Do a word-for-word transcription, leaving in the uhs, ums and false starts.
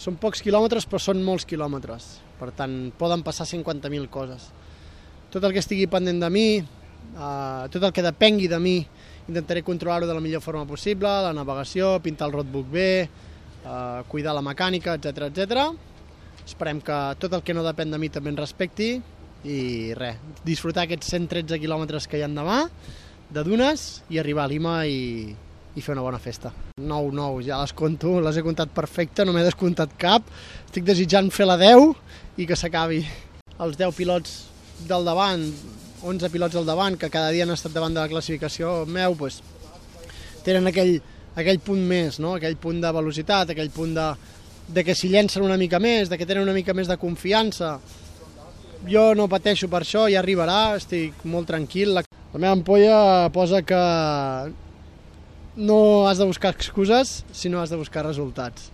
Són pocs quilòmetres, però són molts quilòmetres. Per tant, poden passar cinquanta mil coses. Tot el que estigui pendent de mi, eh, tot el que depengui de mi, intentaré controlar-ho de la millor forma possible, la navegació, pintar el roadbook bé, eh, cuidar la mecànica, etcètera, etcètera. Esperem que tot el que no depèn de mi també ens respecti i res, disfrutar aquests cent tretze quilòmetres que hi ha demà de dunes i arribar a Lima i, i fer una bona festa. nou nou, ja les conto, les he comptat perfecte, no m'he descomptat cap. Estic desitjant fer la deu i que s'acabi. Els deu pilots del davant, onze pilots al davant, que cada dia han estat davant de la classificació meu, pues, tenen aquell, aquell punt més, no? Aquell punt de velocitat, aquell punt de, de que s'hi llencen una mica més, de que tenen una mica més de confiança. Jo no pateixo per això, ja arribarà, estic molt tranquil. La meva ampolla posa que no has de buscar excuses, sinó has de buscar resultats.